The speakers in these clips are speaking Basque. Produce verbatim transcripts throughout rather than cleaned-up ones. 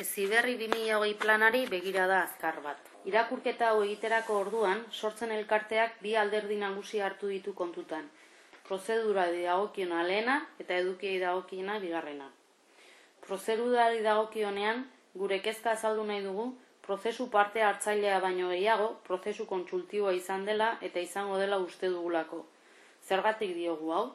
Heziberri bi mila hogei planari begirada azkar bat. Irakurketa hau egiterako orduan, sortzen elkarteak bi alderdi nagusi hartu ditu kontutan. Prozedurari dagokiona lehena eta edukiei dagokiena bigarrena. Prozedurari dagokionean, gure kezka azaldu nahi dugu, prozesu parte hartzailea baino gehiago, prozesu kontsultiboa izan dela eta izango dela uste dugulako. Zergatik diogu hau?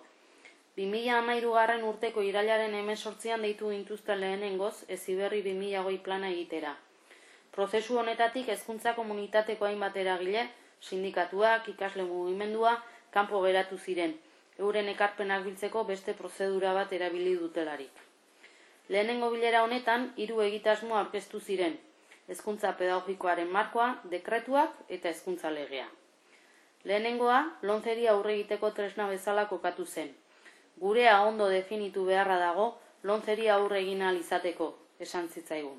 bi mila hamairugarren urteko irailaren hemezortzian deitu gintuzten lehenengoz Heziberri bi mila hogei plana egitera. Prozesu honetatik hezkuntza komunitateko hainbat eragile, sindikatuak, ikasle mugimendua, kanpo geratu ziren, euren ekarpenak biltzeko beste prozedura bat erabili dutelarik. Lehenengo bilera honetan, hiru egitasmo aurkeztu ziren, hezkuntza pedagogikoaren markoa, dekretuak eta hezkuntza legea. Lehenengoa, lomceri aurre egiteko tresna bezala kokatu zen. Gurea ondo definitu beharra dago, lomceri aurre egin ahal izateko, esan zitzaigun.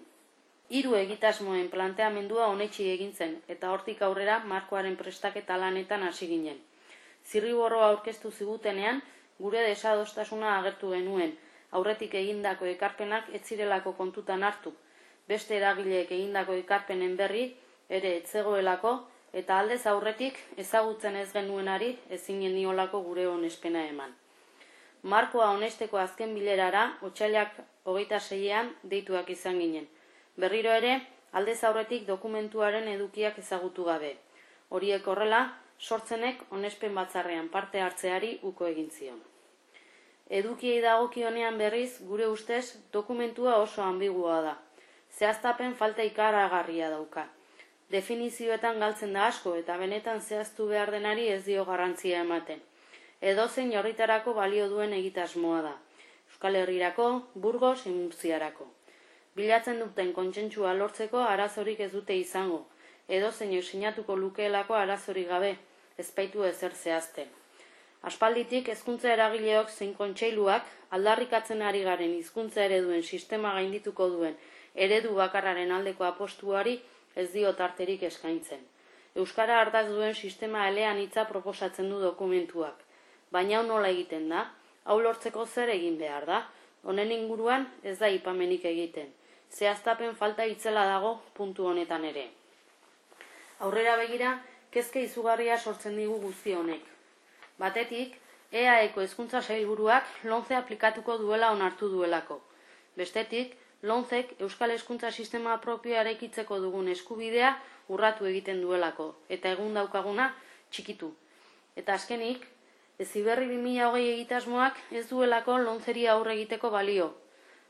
Hiru egitasmoen planteamendua onetsi egin zen, eta hortik aurrera markoaren prestaketa lanetan hasi ginen. Zirriborroa aurkeztu zigutenean, gure desadostasuna agertu genuen, aurretik egindako ekarpenak ez zirelako kontutan hartu, beste eragileek egindako ekarpenen berri ere ez zegoelako, eta aldez aurretik ezagutzen ez genuenari ezin geniolako gure onespena eman. Markoa onesteko azken bilerara, otsailak hogeita seian deituak izan ginen. Berriro ere, aldez aurretik dokumentuaren edukiak ezagutu gabe. Horiek horrela, sortzenek onespen batzarrean parte hartzeari uko egin zion. Edukiei dagokionean berriz, gure ustez, dokumentua oso ambigua da. Zehaztapen falta ikaragarria dauka. Definizioetan galtzen da asko eta benetan zehaztu behar denari ez dio garrantzia ematen. Edozein herritarako balio duen egitasmoa da. Euskal Herrirako, Burgos, Murtziarako. Bilatzen duten kontsentsua lortzeko arazorik ez dute izango. Edozein sinatuko lukeelako arazorik gabe, ezbaitu ezer zehazten. Aspalditik hezkuntza eragileok zein kontseiluak aldarrikatzen ari garen hizkuntza ereduen sistema gaindituko duen eredu bakarraren aldeko apostuari ez dio tarterik eskaintzen. Euskara ardatz duen sistema eleanitza proposatzen du dokumentuak. Baina hau nola egiten da? Hau lortzeko zer egin behar da? Honen inguruan ez da aipamenik egiten. Zehaztapen falta itzela dago puntu honetan ere. Aurrera begira, kezka izugarria sortzen digu guzti honek. Batetik, E A Eko hezkuntza sailburuak lomce aplikatuko duela onartu duelako. Bestetik, lomcek Euskal Hezkuntza Sistema propioa eraikitzeko dugun eskubidea urratu egiten duelako, eta egun daukaguna txikitu. Eta azkenik, Heziberri bi mila hogei egitasmoak ez duelako lomceri aurre egiteko balio,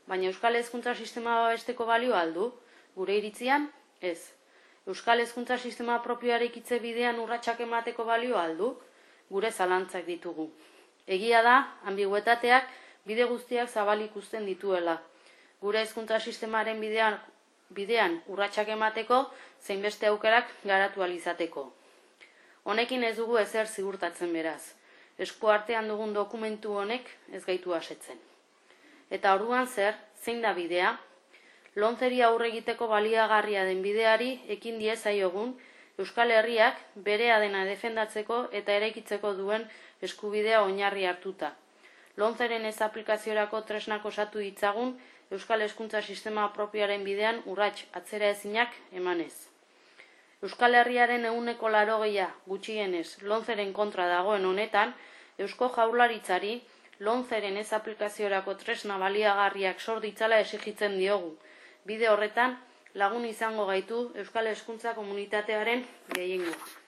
baina Euskal Hezkuntza Sistema babesteko balio aldu, gure iritzian, ez. Euskal Hezkuntza Sistema propioa eraikitze bidean urratsak emateko balio aldu, gure zalantzak ditugu. Egia da, ambiguetateak bide guztiak zabalik uzten dituela. Gure hezkuntza sistemaren bidean, bidean urratsak emateko zein beste aukerak garatu ahal izateko. Honekin ez dugu ezer ziurtatzen beraz. Esku artean dugun dokumentu honek ez gaitu asetzen. Eta orduan zer, zein da bidea? Lomceri aurre egiteko baliagarria den bideari ekin diezaiogun Euskal Herriak berea dena defendatzeko eta eraikitzeko duen eskubidea oinarri hartuta. Lomceren ez aplikaziorako tresnak osatu ditzagun Euskal Hezkuntza Sistema propioaren bidean urrats atzera ezinak emanez. Euskal Herriaren ehuneko laurogeia gutxienez lomceren kontra dagoen honetan, Eusko Jaurlaritzari lomceren ez aplikaziorako tresna baliagarriak sor ditzala exigitzen diogu. Bide horretan lagun izango gaitu Euskal Hezkuntza komunitatearen gehiengoa.